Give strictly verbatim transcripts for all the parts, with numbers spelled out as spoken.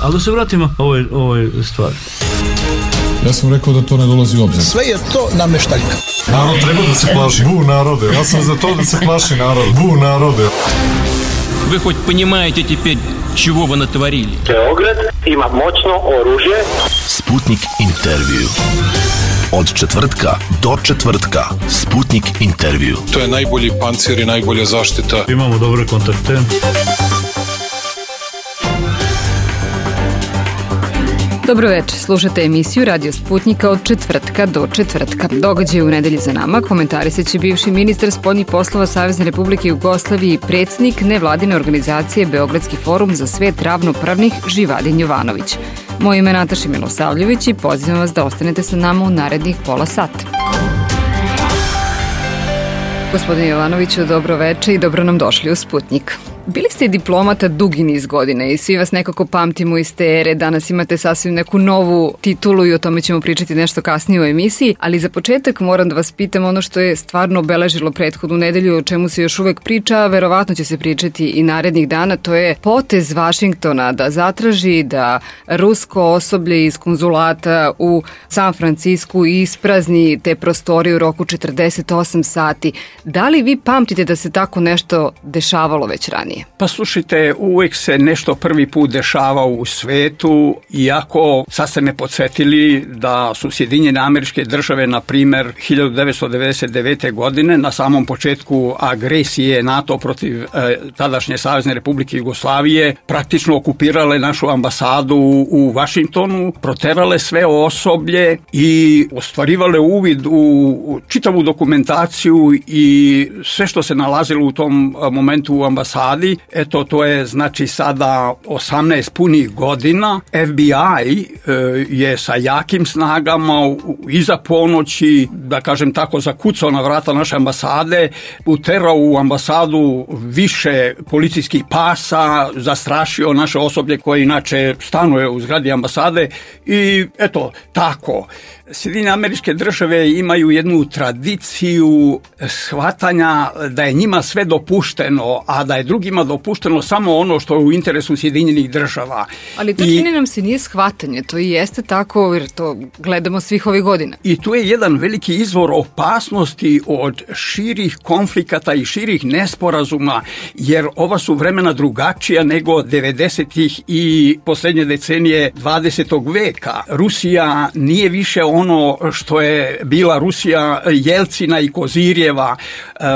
Ali da se vratimo ovoj, ovoj stvari. Ja sam rekao da to ne dolazi u obzir. Sve je to nameštaljka. Narod treba da se plaši. Bu narode. Ja sam za to da se plaši narod. Bu narode. Вы хоть понимаете теперь, чего вы натворили? Beograd ima moćno oružje. Sputnik intervju. Od četvrtka do četvrtka. Sputnik intervju. To je najbolji pancir i najbolja zaštita. Imamo dobre kontakte. Dobro večer, slušate emisiju Radio Sputnika od četvrtka do četvrtka. Događaj u nedelji za nama komentarisat će bivši ministar spoljnih poslova Savezne Republike Jugoslavije i predsjednik nevladine organizacije Beogradski forum za svet ravnopravnih Živadin Jovanović. Moje ime je Nataša Milosavljević i pozivam vas da ostanete sa nama u narednih pola sata. Gospodine Jovanoviću, dobro večer i dobro nam došli u Sputnik. Bili ste diplomata dugi niz godina i svi vas nekako pamtimo iz te ere, danas imate sasvim neku novu titulu i o tome ćemo pričati nešto kasnije u emisiji, ali za početak moram da vas pitam ono što je stvarno obeležilo prethodnu nedelju, o čemu se još uvek priča, a verovatno će se pričati i narednih dana, to je potez Vašingtona da zatraži da rusko osoblje iz konzulata u San Francisku isprazni te prostorije u roku četrdeset osam sati. Da li vi pamtite da se tako nešto dešavalo već ranije? Pa slušajte, uvek se nešto prvi put dešava u svetu, iako sad ste me podsjetili da su Sjedinjene Američke Države, na primer, hiljadu devetsto devedeset devete. godine, na samom početku agresije NATO protiv e, tadašnje Savezne Republike Jugoslavije, praktično okupirale našu ambasadu u Vašingtonu, proterale sve osoblje i ostvarivale uvid u čitavu dokumentaciju i sve što se nalazilo u tom momentu u ambasadi. Eto, to je znači sada osamnaest punih godina. F B I e, je sa jakim snagama iza ponoći, da kažem tako, zakucao na vrata naše ambasade, uterao u ambasadu više policijskih pasa, zastrašio naše osoblje koje inače stanuje u zgradi ambasade i eto, tako. Sjedinjene Američke Države imaju jednu tradiciju shvatanja da je njima sve dopušteno, a da je drugima dopušteno samo ono što je u interesu Sjedinjenih Država. Ali to čini nam se nije shvatanje, to i jeste tako jer to gledamo svih ovih godina. I tu je jedan veliki izvor opasnosti od širih konflikata i širih nesporazuma, jer ova su vremena drugačija nego devedesetih i posljednje decenije dvadesetog veka. Rusija nije više ono što je bila Rusija Jelcina i Kozirjeva.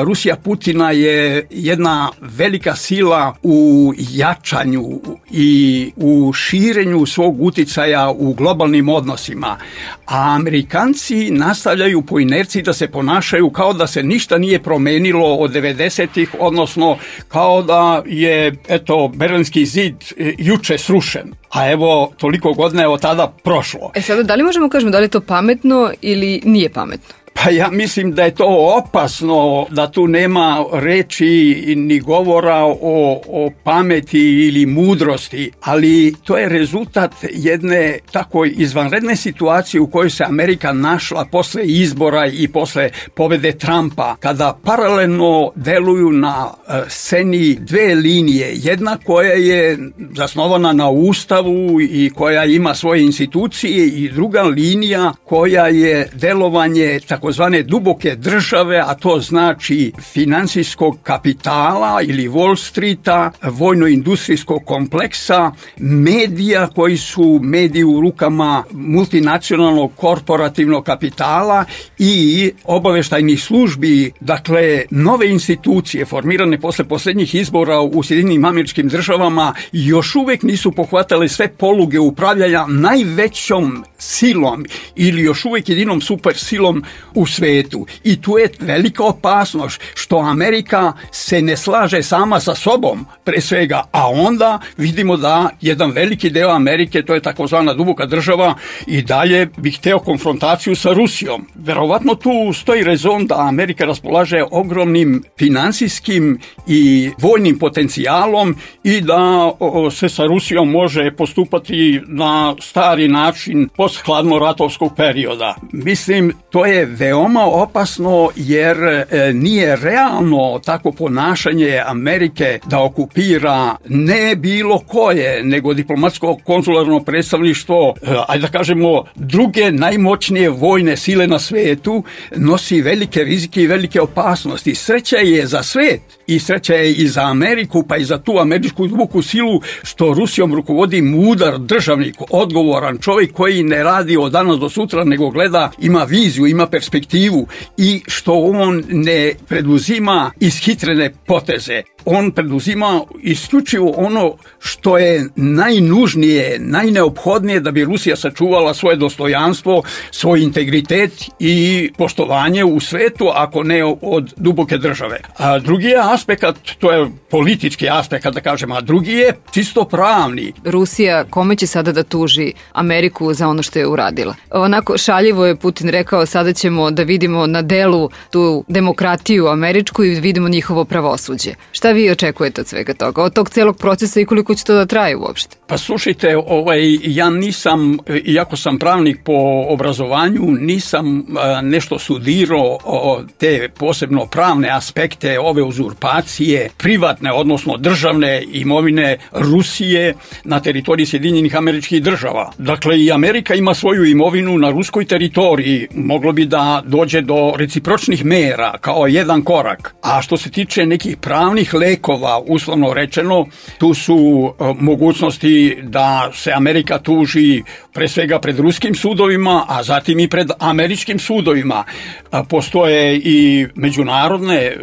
Rusija Putina je jedna velika sila u jačanju i u širenju svog uticaja u globalnim odnosima. A Amerikanci nastavljaju po inerciji da se ponašaju kao da se ništa nije promenilo od devedesetih, odnosno kao da je, eto, Berlinski zid juče srušen. A evo, toliko godina je od tada prošlo. E sada, da li možemo kažemo da li je to pametno ili nije pametno? Pa ja mislim da je to opasno, da tu nema reči ni govora o, o pameti ili mudrosti, ali to je rezultat jedne tako izvanredne situacije u kojoj se Amerika našla posle izbora i posle pobede Trumpa, kada paralelno deluju na sceni dve linije. Jedna koja je zasnovana na Ustavu i koja ima svoje institucije i druga linija koja je delovanje tako takozvane duboke države, a to znači financijskog kapitala ili Wall Streeta, vojno-industrijskog kompleksa, medija koji su mediji u rukama multinacionalnog korporativnog kapitala i obaveštajnih službi, dakle nove institucije formirane posle posljednjih izbora u Sjedinjenim Američkim Državama još uvek nisu pohvatale sve poluge upravljanja najvećom silom ili još uvek jedinom super silom u svetu. I tu je velika opasnost što Amerika se ne slaže sama sa sobom pre svega, a onda vidimo da jedan veliki deo Amerike, to je takozvana duboka država, i dalje bi hteo konfrontaciju sa Rusijom. Verovatno tu stoji rezon da Amerika raspolaže ogromnim finansijskim i vojnim potencijalom i da o, se sa Rusijom može postupati na stari način post hladnoratovskog perioda. Mislim, to je veoma opasno jer e, nije realno tako ponašanje Amerike da okupira ne bilo koje, nego diplomatsko konzularno predstavništvo, e, ajde da kažemo, druge najmoćnije vojne sile na svetu, nosi velike rizike i velike opasnosti. Sreća je za svet i sreća je i za Ameriku, pa i za tu američku duboku silu što Rusijom rukovodi mudar državnik, odgovoran čovjek koji ne radi od danas do sutra, nego gleda, ima viziju, ima perspektivu i što on ne preduzima ishitrene poteze. On preduzima isključivo ono što je najnužnije, najneophodnije da bi Rusija sačuvala svoje dostojanstvo, svoj integritet i poštovanje u svetu, ako ne od duboke države. A drugi je aspekt, to je politički aspekt, da kažem, a drugi je čisto pravni. Rusija kome će sada da tuži Ameriku za ono što je uradila? Onako šaljivo je Putin rekao, sada ćemo da vidimo na delu tu demokratiju američku i vidimo njihovo pravosuđe. Šta vi očekujete od svega toga, od tog celog procesa i koliko će to da traje uopšte? Pa slušajte, ovaj, ja nisam, iako sam pravnik po obrazovanju, nisam a, nešto studirao o, te posebno pravne aspekte ove uzurpacije, privatne, odnosno državne imovine Rusije na teritoriji Sjedinjenih Američkih Država. Dakle, i Amerika ima svoju imovinu na ruskoj teritoriji, moglo bi da dođe do recipročnih mera kao jedan korak. A što se tiče nekih pravnih lekova, uslovno rečeno, tu su e, mogućnosti da se Amerika tuži pre svega pred ruskim sudovima, a zatim i pred američkim sudovima. E, postoje i međunarodne e,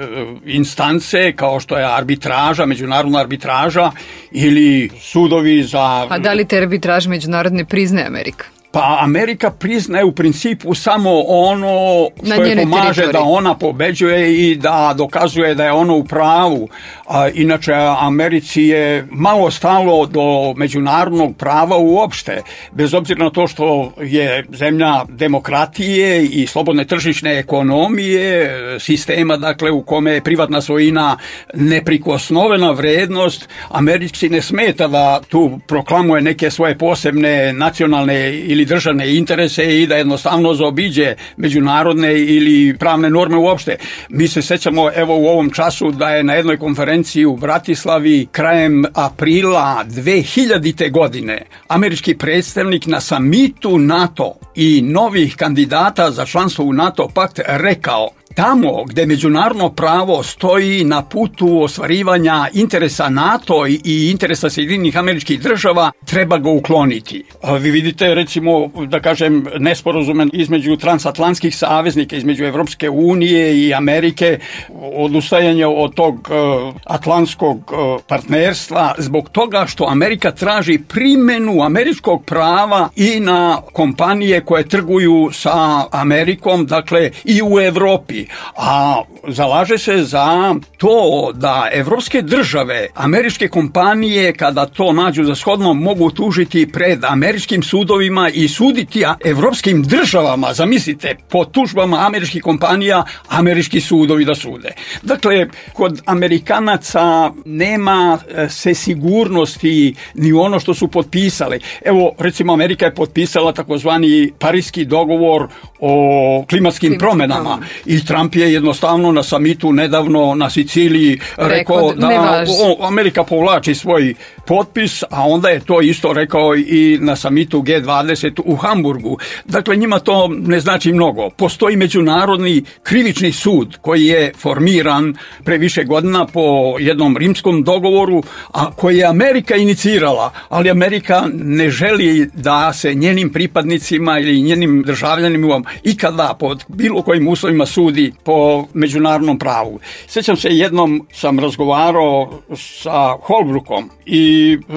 instance kao što je arbitraža, međunarodna arbitraža ili sudovi za... A da li te arbitraže međunarodne priznaje Amerika? Pa Amerika priznaje u principu samo ono što je pomaže teritoriji, da ona pobeđuje i da dokazuje da je ono u pravu. A, inače, Americi je malo stalo do međunarodnog prava uopšte, bez obzira na to što je zemlja demokratije i slobodne tržišne ekonomije, sistema dakle u kome je privatna svojina neprikosnovena vrednost. Americi ne smeta da tu proklamuje neke svoje posebne nacionalne ili državne interese i da jednostavno zaobiđe međunarodne ili pravne norme uopšte. Mi se sećamo evo u ovom času da je na jednoj konferenciji u Bratislavi krajem aprila dve hiljadite. godine američki predstavnik na samitu NATO i novih kandidata za članstvo u NATO pakt rekao: tamo gde međunarodno pravo stoji na putu ostvarivanja interesa NATO i interesa Sjedinjenih Američkih Država, treba ga ukloniti. Vi vidite, recimo, da kažem, nesporazume između transatlantskih saveznika, između Evropske unije i Amerike, odustajanje od tog uh, atlantskog uh, partnerstva, zbog toga što Amerika traži primenu američkog prava i na kompanije koje trguju sa Amerikom, dakle i u Evropi. A zalaže se za to da evropske države, američke kompanije, kada to nađu za shodno, mogu tužiti pred američkim sudovima i suditi evropskim državama. Zamislite, po tužbama američkih kompanija, američki sudovi da sude. Dakle, kod Amerikanaca nema se sigurnosti ni ono što su potpisali. Evo, recimo, Amerika je potpisala takozvani Pariski dogovor o klimatskim Klimatski promenama problem. I Trump je jednostavno na samitu nedavno na Siciliji rekao da, da o, Amerika povlači svoj potpis, a onda je to isto rekao i na samitu G dvadeset u Hamburgu. Dakle, njima to ne znači mnogo. Postoji međunarodni krivični sud koji je formiran pre više godina po jednom rimskom dogovoru, a koji je Amerika inicirala, ali Amerika ne želi da se njenim pripadnicima ili njenim državljanima ikada pod bilo kojim uslovima sudi po međunarodnom pravu. Sjećam se, jednom sam razgovarao sa Holbrookom i e,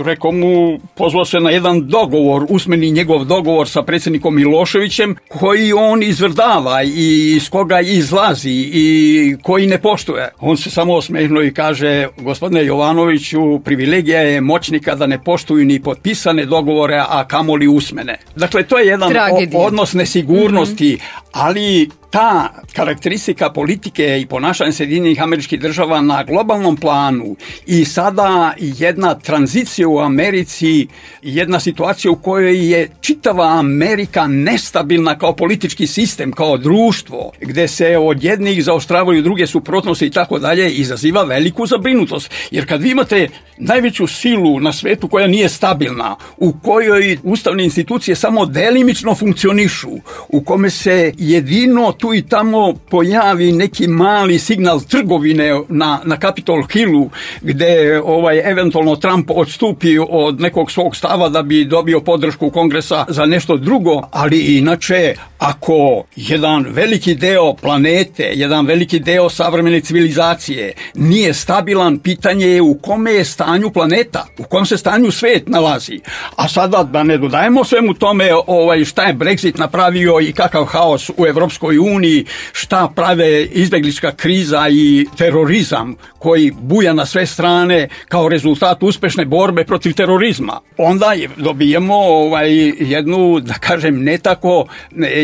rekao mu, pozvao se na jedan dogovor, usmeni njegov dogovor sa predsjednikom Miloševićem, koji on izvrdava i iz koga izlazi i koji ne poštuje. On se samo osmehnuo i kaže: gospodine Jovanoviću, privilegija je moćnika da ne poštuju ni potpisane dogovore, a kamoli usmene. Dakle, to je jedan o, odnos nesigurnosti, mm-hmm. ali ta karakteristika politike i ponašanja Sjedinjenih Američkih Država na globalnom planu i sada jedna tranzicija u Americi, jedna situacija u kojoj je čitava Amerika nestabilna kao politički sistem, kao društvo, gde se od jednih zaoštravaju druge suprotnosti i tako dalje, izaziva veliku zabrinutost. Jer kad vi imate najveću silu na svetu koja nije stabilna, u kojoj ustavne institucije samo delimično funkcionišu, u kome se jedino tu i tamo pojavi neki mali signal trgovine na, na Capitol Hillu, gde ovaj, eventualno Trump odstupi od nekog svog stava da bi dobio podršku Kongresa za nešto drugo, ali inače, ako jedan veliki deo planete, jedan veliki deo savremene civilizacije nije stabilan, pitanje je u kome je stanju planeta, u kom se stanju svet nalazi. A sada da ne dodajemo svemu tome ovaj, šta je Brexit napravio i kakav haos u Evropskoj uniji, šta prave izbeglička kriza i terorizam koji buja na sve strane kao rezultat uspešne borbe protiv terorizma. Onda dobijemo ovaj, jednu, da kažem, ne tako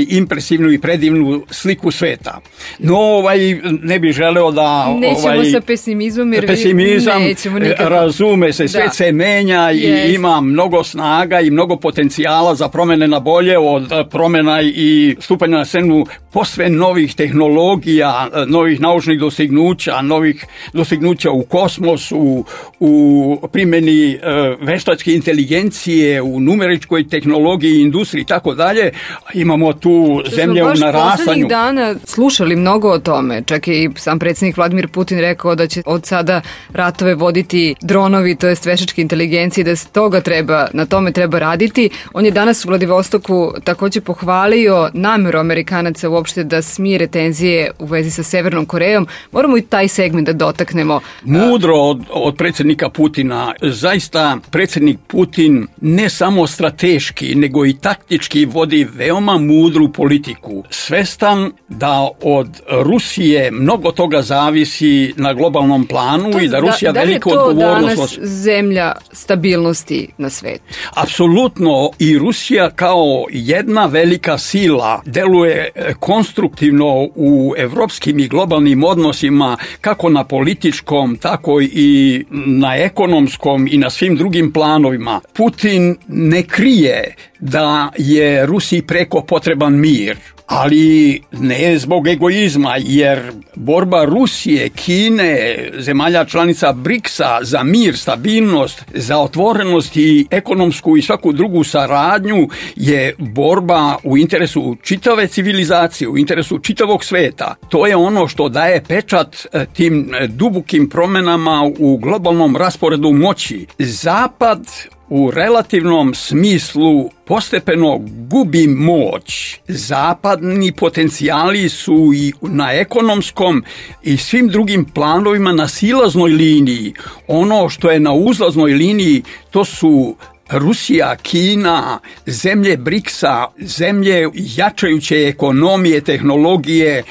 impresivnu i predivnu sliku sveta. No, ovaj, ne bih želeo da... Nećemo ovaj, sa pesimizmom, jer pesimizam, nećemo nikako. Razume se, svet da. se menja i yes. ima mnogo snaga i mnogo potencijala za promene na bolje, od promena i stupanja na scenu posve novih tehnologija, novih naučnih dostignuća, novih dostignuća u kosmosu, u primjeni e, veštačke inteligencije, u numeričkoj tehnologiji, industriji i tako dalje. Imamo tu zemlje u narastanju. Poslednjih dana slušali mnogo o tome. Čak je i sam predsjednik Vladimir Putin rekao da će od sada ratove voditi dronovi, to jest veštačke inteligencije, da toga treba, na tome treba raditi. On je danas u Vladivostoku takođe pohvalio nameru Amerikanaca uopšte da smire tenzije u vezi sa Severnom Korejom. Moramo i taj segment da dotaknemo. Mudro od, od predsjednika Putina. Zaista predsjednik Putin ne samo strateški, nego i taktički vodi veoma mudru politiku. Svestan da od Rusije mnogo toga zavisi na globalnom planu to, i da Rusija da, veliku odgovornost... Da li je to danas zemlja stabilnosti na svetu? Apsolutno, i Rusija kao jedna velika sila deluje konstruktivno u evropskim i globalnim odnosima, kako na političkom, tako i na ekonomskom i na svim drugim planovima. Putin ne krije da je Rusiji preko potreban mir, ali ne zbog egoizma, jer borba Rusije, Kine, zemalja članica briksa za mir, stabilnost, za otvorenost i ekonomsku i svaku drugu saradnju je borba u interesu čitave civilizacije, u interesu čitavog sveta. To je ono što daje pečat tim dubokim promenama u globalnom rasporedu moći. Zapad u relativnom smislu postepeno gubi moć. Zapadni potencijali su i na ekonomskom i svim drugim planovima na silaznoj liniji. Ono što je na uzlaznoj liniji, to su Rusija, Kina, zemlje briksa, zemlje jačajuće ekonomije, tehnologije,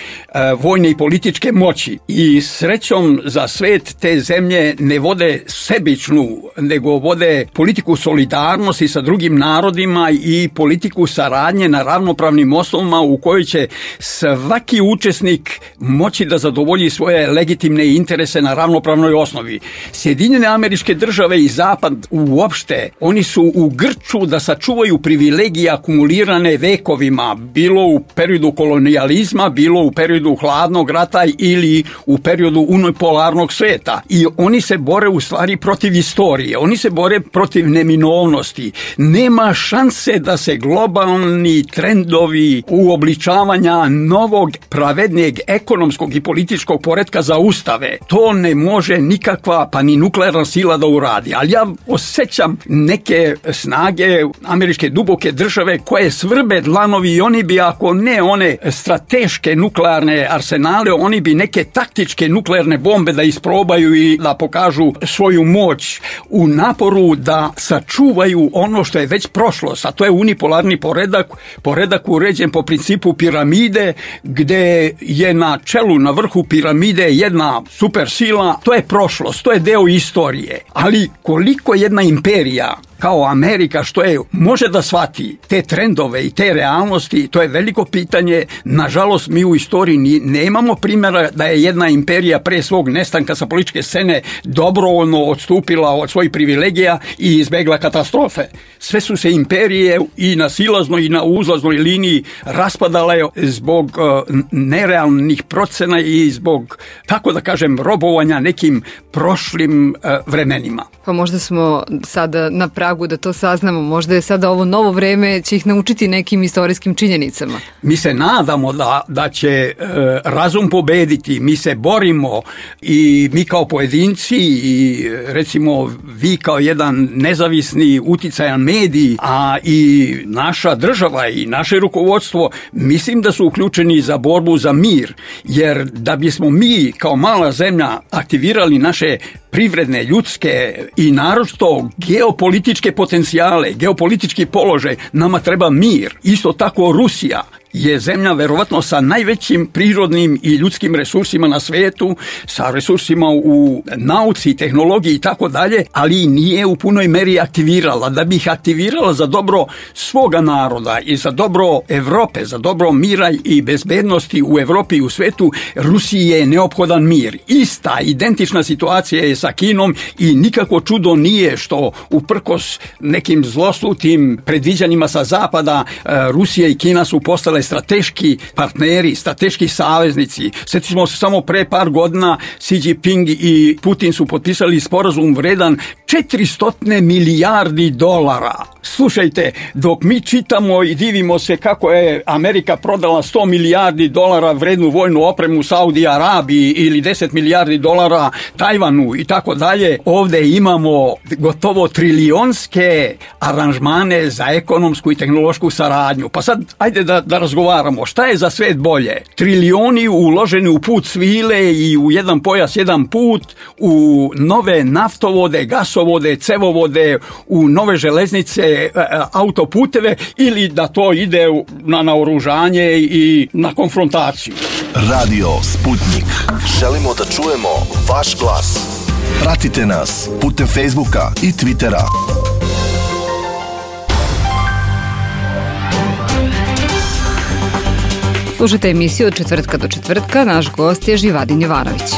vojne i političke moći. I srećom za svet te zemlje ne vode sebičnu, nego vode politiku solidarnosti sa drugim narodima i politiku saradnje na ravnopravnim osnovama u kojoj će svaki učesnik moći da zadovolji svoje legitimne interese na ravnopravnoj osnovi. Sjedinjene Američke Države i Zapad uopšte, oni su u grču da sačuvaju privilegije akumulirane vekovima, bilo u periodu kolonijalizma, bilo u periodu hladnog rata ili u periodu unipolarnog sveta. I oni se bore u stvari protiv istorije, oni se bore protiv neminovnosti. Nema šanse da se globalni trendovi uobličavanja novog, pravednijeg ekonomskog i političkog poretka zaustave. To ne može nikakva, pa ni nuklearna sila da uradi. Ali ja osjećam neke snage američke duboke države koje svrbe dlanovi i oni bi, ako ne one strateške nuklearne arsenale, oni bi neke taktičke nuklearne bombe da isprobaju i da pokažu svoju moć u naporu da sačuvaju ono što je već prošlost, a to je unipolarni poredak, poredak uređen po principu piramide, gde je na čelu, na vrhu piramide jedna super sila. To je prošlost, to je deo istorije. Ali koliko jedna imperija kao Amerika, što je, može da shvati te trendove i te realnosti, to je veliko pitanje. Nažalost, mi u istoriji nemamo primjera da je jedna imperija pre svog nestanka sa političke scene dobrovoljno odstupila od svojih privilegija i izbegla katastrofe. Sve su se imperije i na silaznoj i na uzlaznoj liniji raspadale zbog uh, nerealnih procena i zbog, tako da kažem, robovanja nekim prošlim uh, vremenima. Pa možda smo sada na pragu da to saznamo, možda je sada ovo novo vreme će ih naučiti nekim istorijskim činjenicama. Mi se nadamo da, da će e, razum pobediti, mi se borimo i mi kao pojedinci i recimo vi kao jedan nezavisni uticajan medij, a i naša država i naše rukovodstvo, mislim da su uključeni za borbu za mir, jer da bismo mi kao mala zemlja aktivirali naše privredne, ljudske i naročito geopolitičke potencijale, geopolitički položaj, nama treba mir. Isto tako Rusija je zemlja verovatno sa najvećim prirodnim i ljudskim resursima na svetu, sa resursima u nauci, tehnologiji i tako dalje, ali nije u punoj meri aktivirala. Da bi ih aktivirala za dobro svoga naroda i za dobro Evrope, za dobro mira i bezbednosti u Evropi i u svetu, Rusiji je neophodan mir. Ista, identična situacija je sa Kinom i nikako čudo nije što uprkos nekim zloslutim predviđanjima sa zapada, Rusija i Kina su postale strateški partneri, strateški saveznici. Sjetimo se samo pre par godina Xi Jinping i Putin su potpisali sporazum vredan četiristo milijardi dolara. Slušajte, dok mi čitamo i divimo se kako je Amerika prodala sto milijardi dolara vrednu vojnu opremu Saudi Arabiji ili deset milijardi dolara Tajvanu i tako dalje, ovdje imamo gotovo trilionske aranžmane za ekonomsku i tehnološku saradnju. Pa sad, ajde da, da razgovaramo. Šta je za svet bolje? Trilioni uloženi u put svile i u jedan pojas, jedan put, u nove naftovode, gasovode, cevovode, u nove železnice, autoputeve, ili da to ide na naoružanje i na konfrontaciju. Radio Sputnik. Želimo da čujemo vaš glas. Pratite nas putem Facebooka i Twittera. Slušajte emisiju od četvrtka do četvrtka, naš gost je Živadin Jovanović.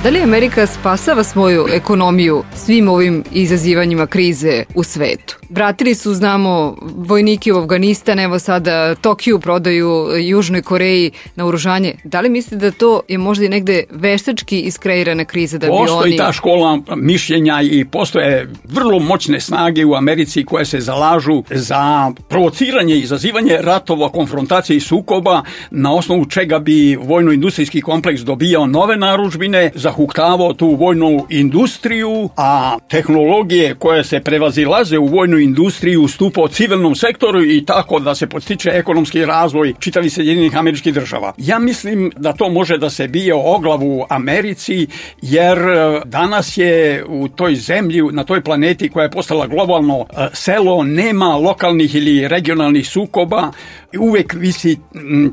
Da li Amerika spasava svoju ekonomiju svim ovim izazivanjima krize u svetu? Vratili su, znamo, vojnike u Afganistan, evo sada Tokiju prodaju Južnoj Koreji na oružanje. Da li mislite da to je možda i negde veštački iskreirana kriza? Da bi postoji oni... ta škola mišljenja i postoje vrlo moćne snage u Americi koje se zalažu za provociranje i izazivanje ratova, konfrontacije i sukoba, na osnovu čega bi vojno-industrijski kompleks dobijao nove narudžbine, zahuktavao tu vojnu industriju, a tehnologije koje se prevazilaze u vojnu industriju ustupao civilnom sektoru i tako da se podstiče ekonomski razvoj čitavih Sjedinjenih Američkih Država. Ja mislim da to može da se bije o glavu u Americi, jer danas je u toj zemlji, na toj planeti koja je postala globalno selo, nema lokalnih ili regionalnih sukoba. Uvek visi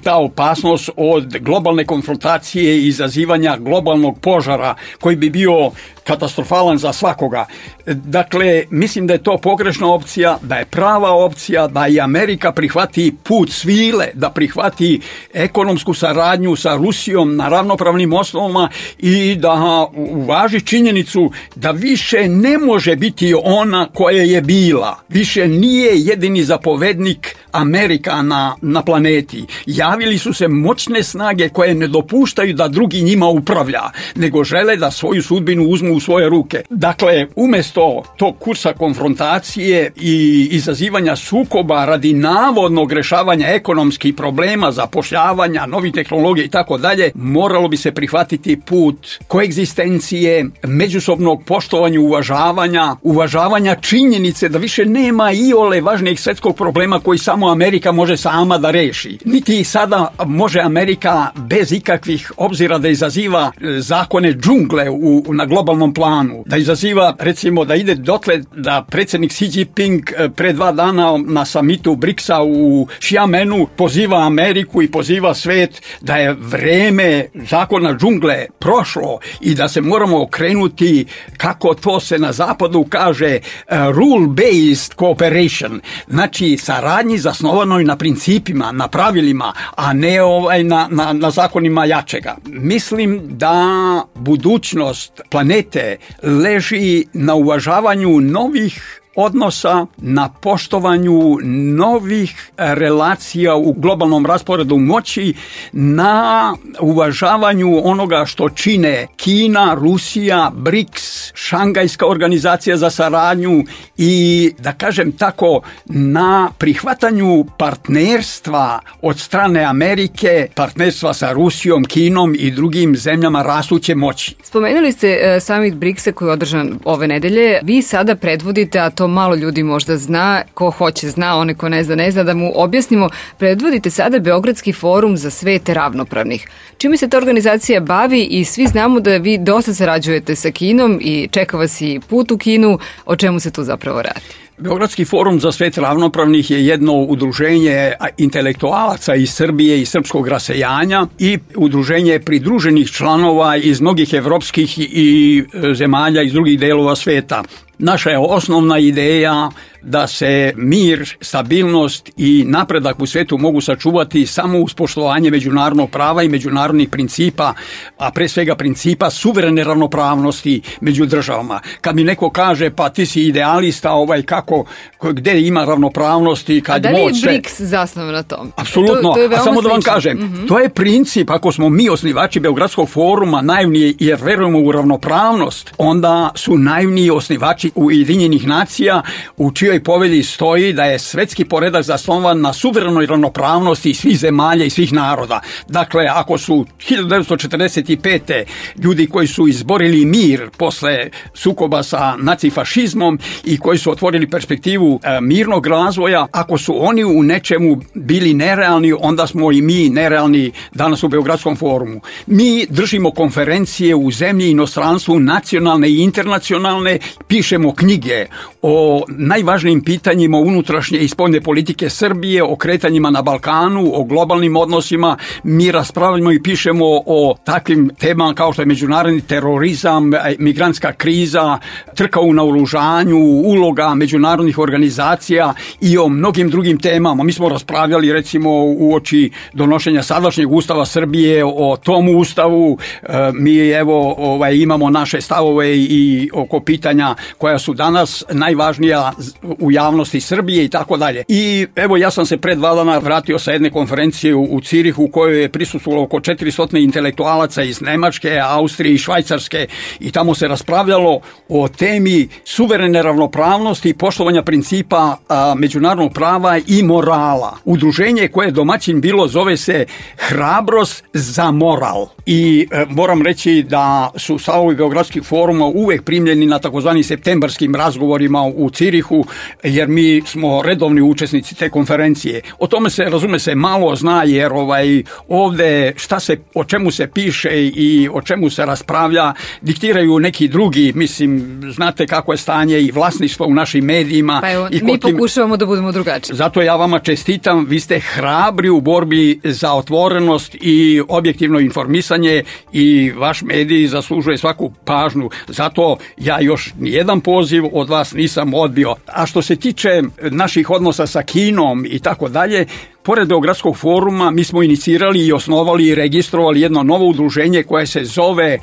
ta opasnost od globalne konfrontacije i izazivanja globalnog požara koji bi bio katastrofalan za svakoga. Dakle, mislim da je to pogrešna opcija, da je prava opcija da i Amerika prihvati put svile, da prihvati ekonomsku saradnju sa Rusijom na ravnopravnim osnovama i da uvaži činjenicu da više ne može biti ona koja je bila. Više nije jedini zapovednik Amerika na, na planeti. Javili su se moćne snage koje ne dopuštaju da drugi njima upravlja, nego žele da svoju sudbinu uzmu u svoje ruke. Dakle, umjesto tog kursa konfrontacije i izazivanja sukoba radi navodnog rešavanja ekonomskih problema, zapošljavanja, novih tehnologija i tako dalje, moralo bi se prihvatiti put koegzistencije, međusobnog poštovanja, uvažavanja, uvažavanja činjenice da više nema iole važnijeg svetskog problema koji samo Amerika može sama da reši. Niti sada može Amerika bez ikakvih obzira da izaziva zakone džungle u, na globalnom globalnom planu, da izaziva, recimo, da ide dotle da predsjednik Xi Jinping pre dva dana na samitu briksa u Xiamenu poziva Ameriku i poziva svet da je vreme zakona džungle prošlo i da se moramo okrenuti, kako to se na zapadu kaže, rule-based cooperation, znači saradnji zasnovanoj na principima, na pravilima, a ne ovaj na, na, na zakonima jačega. Mislim da budućnost planete leži na uvažavanju novih odnosa, na poštovanju novih relacija u globalnom rasporedu moći, na uvažavanju onoga što čine Kina, Rusija, briks, Šangajska organizacija za saradnju i, da kažem tako, na prihvatanju partnerstva od strane Amerike, partnerstva sa Rusijom, Kinom i drugim zemljama rastuće moći. Spomenuli ste uh, summit briksa koji je održan ove nedelje. Vi sada predvodite, a to malo ljudi možda zna, ko hoće zna, one ko ne zna ne zna, da mu objasnimo, predvodite sada Beogradski forum za svet ravnopravnih. Čime se ta organizacija bavi i svi znamo da vi dosta sarađujete sa Kinom i čeka vas i put u Kinu, o čemu se tu zapravo radi? Beogradski forum za svet ravnopravnih je jedno udruženje intelektualaca iz Srbije i srpskog rasejanja i udruženje pridruženih članova iz mnogih evropskih i zemalja iz drugih delova sveta. Naša je osnovna ideja da se mir, stabilnost i napredak u svetu mogu sačuvati samo uz poštovanje međunarodnog prava i međunarodnih principa, a pre svega principa suverene ravnopravnosti među državama. Kad mi neko kaže pa ti si idealista, ovaj kako, gde ima ravnopravnosti, kad moć... A da li je briks zasnovan na tom? Apsolutno, to, to a samo da vam kažem, mm-hmm. to je princip, ako smo mi osnivači Beogradskog foruma naivni jer verujemo u ravnopravnost, onda su naivni osnivači Ujedinjenih nacija u čijoj povelji stoji da je svetski poredak zasnovan na suverenoj ravnopravnosti svih zemalja i svih naroda. Dakle, ako su hiljadu devetsto četrdeset pete. ljudi koji su izborili mir posle sukoba sa nacifašizmom i koji su otvorili perspektivu e, mirnog razvoja, ako su oni u nečemu bili nerealni, onda smo i mi nerealni danas u Beogradskom forumu. Mi držimo konferencije u zemlji i inostranstvu, nacionalne i internacionalne, pišemo knjige o najvažnijim pitanjima unutrašnje i spoljne politike Srbije, o kretanjima na Balkanu, o globalnim odnosima. Mi raspravljamo i pišemo o takvim temama kao što je međunarodni terorizam, migrantska kriza, trka u naoružanju, uloga međunarodnih organizacija i o mnogim drugim temama. Mi smo raspravljali recimo uoči donošenja sadašnjeg ustava Srbije o tom ustavu. Mi evo ovaj, imamo naše stavove i oko pitanja koja su danas najvažnija u javnosti Srbije i tako dalje. I evo ja sam se pred dva dana vratio sa jedne konferencije u, u Cirihu u kojoj je prisustvovalo oko četiristo intelektualaca iz Nemačke, Austrije i Švajcarske i tamo se raspravljalo o temi suverene ravnopravnosti i poštovanja principa a, međunarodnog prava i morala. Udruženje koje je domaćin bilo zove se Hrabrost za moral. I e, moram reći da su stavovi Beogradskih foruma uvek primljeni na takozvanim septembarskim razgovorima u Cirihu, jer mi smo redovni učesnici te konferencije. O tome se, razume se, malo zna, jer ovaj, ovde šta se, o čemu se piše i o čemu se raspravlja, diktiraju neki drugi, mislim, znate kako je stanje i vlasništvo u našim medijima. Pa evo, i mi tim... pokušavamo da budemo drugačiji. Zato ja vama čestitam, vi ste hrabri u borbi za otvorenost i objektivno informisanje i vaš medij zaslužuje svaku pažnju. Zato ja još nijedan poziv od vas nisam odbio. A što se tiče naših odnosa sa Kinom i tako dalje, pored Beogradskog foruma mi smo inicirali i osnovali i registrovali jedno novo udruženje koje se zove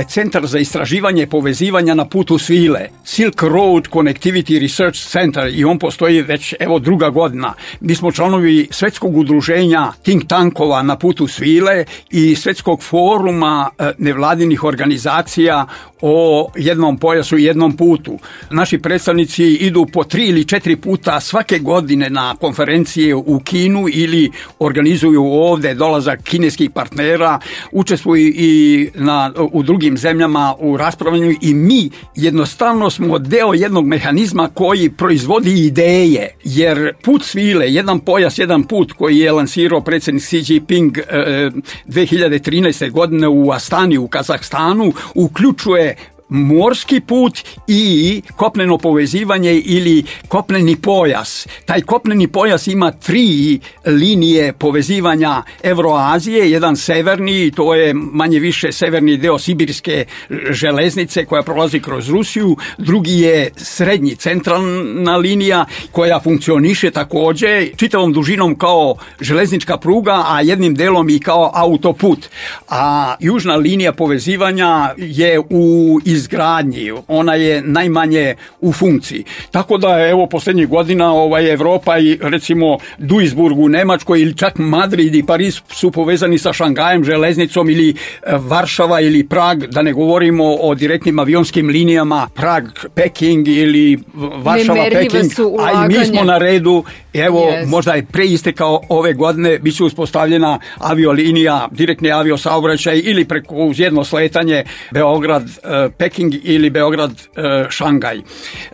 Centar za istraživanje povezivanja na putu svile, Silk Road Connectivity Research Center, i on postoji već evo druga godina. Mi smo članovi svetskog udruženja think tankova na putu svile i svetskog foruma nevladinih organizacija o jednom pojasu i jednom putu. Naši predstavnici idu po tri ili četiri puta svake godine na konferencije u Kinu ili organizuju ovde dolazak kineskih partnera, učestvuju i na, u drugim zemljama u raspravljanju i mi jednostavno smo deo jednog mehanizma koji proizvodi ideje, jer put svile, jedan pojas, jedan put koji je lansirao predsjednik Xi Jinping eh, dve hiljade trinaeste. godine u Astani u Kazahstanu, uključuje morski put i kopneno povezivanje ili kopneni pojas. Taj kopneni pojas ima tri linije povezivanja Evroazije, jedan severni, to je manje više severni deo sibirske železnice koja prolazi kroz Rusiju, drugi je srednji, centralna linija koja funkcioniše također čitavom dužinom kao železnička pruga, a jednim delom i kao autoput. A južna linija povezivanja je u izgradnji, ona je najmanje u funkciji. Tako da evo posljednjih godina ovaj, Evropa i recimo Duisburg u Nemačkoj ili čak Madrid i Pariz su povezani sa Šangajem, železnicom ili Varšava ili Prag, da ne govorimo o direktnim avionskim linijama Prag, Peking ili Varšava, Peking, a i mi smo na redu. Evo, yes. Možda je preistekao ove godine, bit će uspostavljena aviolinija, direktni aviosaobraćaj ili preko uz jedno sletanje Beograd-Peking ili Beograd-Šangaj.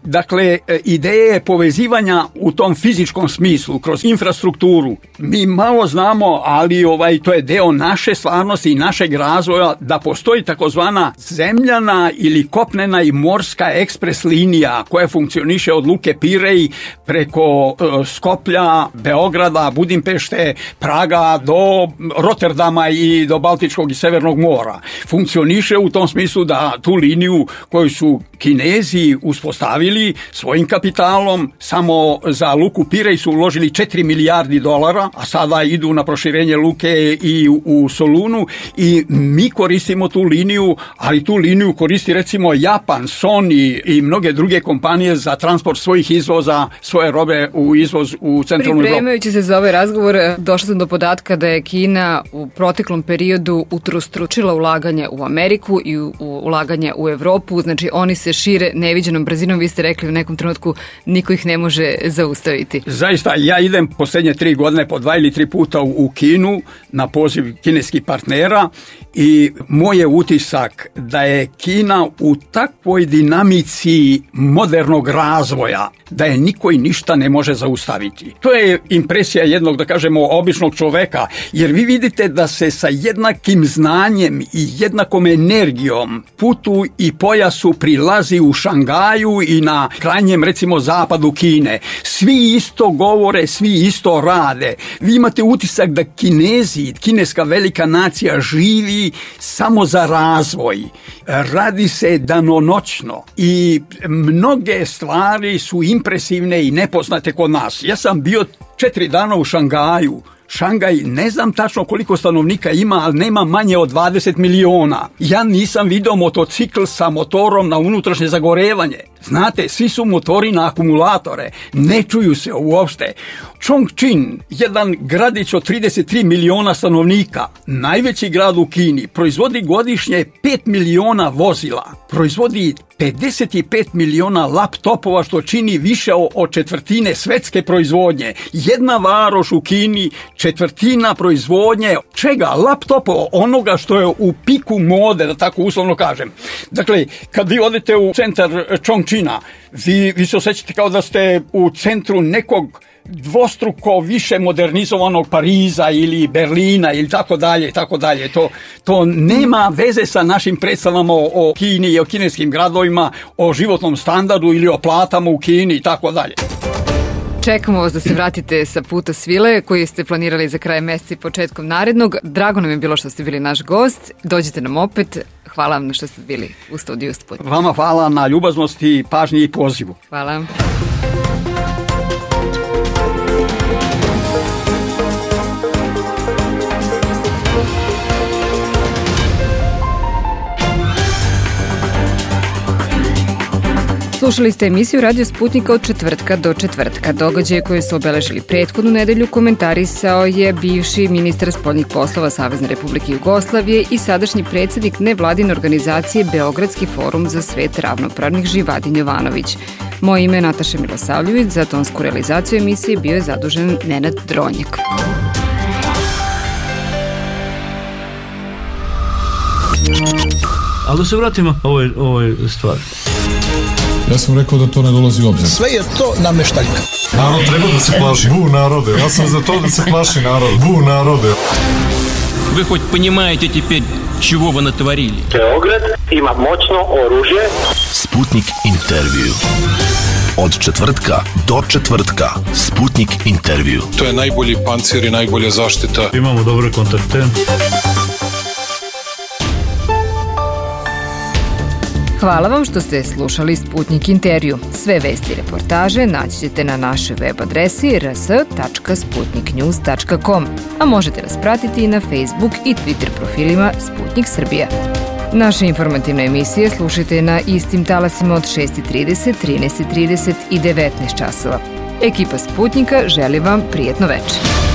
Dakle, ideje povezivanja u tom fizičkom smislu, kroz infrastrukturu, mi malo znamo, ali ovaj, to je deo naše stvarnosti i našeg razvoja, da postoji takozvana zemljana ili kopnena i morska ekspres linija koja funkcioniše od Luke Pirej preko uh, Skoplja, Beograda, Budimpešte, Praga do Rotterdama i do Baltičkog i Severnog mora. Funkcioniše u tom smislu da tu liniju koju su Kinezi uspostavili svojim kapitalom, samo za Luku Pirej su uložili četiri milijardi dolara, a sada idu na proširenje luke i u, u Solunu i mi koristimo tu liniju, ali tu liniju koristi recimo Japan, Sony i mnoge druge kompanije za transport svojih izvoza, svoje robe u izvoz u centralnu Evropu. Pripremajući se za ovaj razgovor, došla sam do podatka da je Kina u proteklom periodu utrostručila ulaganje u Ameriku i u, u ulaganje u Evropu, znači oni se šire neviđenom brzinom, vi ste rekli u nekom trenutku niko ih ne može zaustaviti. Zaista, ja idem posljednje tri godine po dva ili tri puta u, u Kinu na poziv kineskih partnera i moj je utisak da je Kina u takvoj dinamici modernog razvoja da je niko i ništa ne može zaustaviti. To je impresija jednog, da kažemo, običnog čoveka, jer vi vidite da se sa jednakim znanjem i jednakom energijom putu i pojasu prilazi u Šangaju i na krajnjem, recimo, zapadu Kine. Svi isto govore, svi isto rade. Vi imate utisak da Kinezi, kineska velika nacija, živi samo za razvoj. Radi se danonoćno i mnoge stvari su impresivne i nepoznate kod nas. Ja sam bio četiri dana u Šangaju. Šangaj, ne znam tačno koliko stanovnika ima, ali nema manje od dvadeset miliona. Ja nisam vidio motocikl sa motorom na unutrašnje zagorevanje. Znate, svi su motori na akumulatore, ne čuju se uopšte. Chongqing, jedan gradić od trideset tri miliona stanovnika, najveći grad u Kini, proizvodi godišnje pet miliona vozila, proizvodi pedeset pet miliona laptopova, što čini više od četvrtine svetske proizvodnje. Jedna varoš u Kini, četvrtina proizvodnje, čega? Laptopova, onoga što je u piku mode, da tako uslovno kažem. Dakle, kad vi odete u centar Chongqinga, vi, vi se osjećate kao da ste u centru nekog dvostruko više modernizovanog Pariza ili Berlina ili tako dalje, tako dalje. To, to nema veze sa našim predstavama o, o Kini i o kineskim gradovima, o životnom standardu ili o platama u Kini i tako dalje. Čekamo vas da se vratite sa puta svile koji ste planirali za kraj meseca i početkom narednog. Drago nam je bilo što ste bili naš gost. Dođite nam opet. Hvala vam što ste bili u studiju Sputnik. Vama hvala na ljubaznosti, pažnji i pozivu. Hvala. Slušali ste emisiju Radio Sputnika od četvrtka do četvrtka. Događaje koje su obeležili prethodnu nedelju komentarisao je bivši ministar spoljnih poslova Savezne Republike Jugoslavije i sadašnji predsjednik nevladine organizacije Beogradski forum za svet ravnopravnih Živadin Jovanović. Moje ime je Nataša Milosavljević, za tonsku realizaciju emisije bio je zadužen Nenad Dronjak. Ali da se vratimo ovoj, ovoj stvari. Ja sam rekao da to ne dolazi u obzir. Sve je to nameštaljka. Narod treba da se plaši. Bu narode. Ja sam za to da se plaši narod. Bu narode. Вы хоть понимаете теперь, чего вы натворили. Beograd ima moćno oružje. Sputnik intervju. Od četvrtka do četvrtka. Sputnik intervju. To je najbolji pancir i najbolja zaštita. Imamo dobre kontakte. Hvala vam što ste slušali Sputnik intervju. Sve vesti i reportaže naći ćete na našoj web adresi r s tačka sputnik news tačka com, a možete nas pratiti i na Facebook i Twitter profilima Sputnik Srbija. Naše informativne emisije slušajte na istim talasima od šest i trideset, trinaest i trideset i devetnaest časova. Ekipa Sputnika želi vam prijetno večer.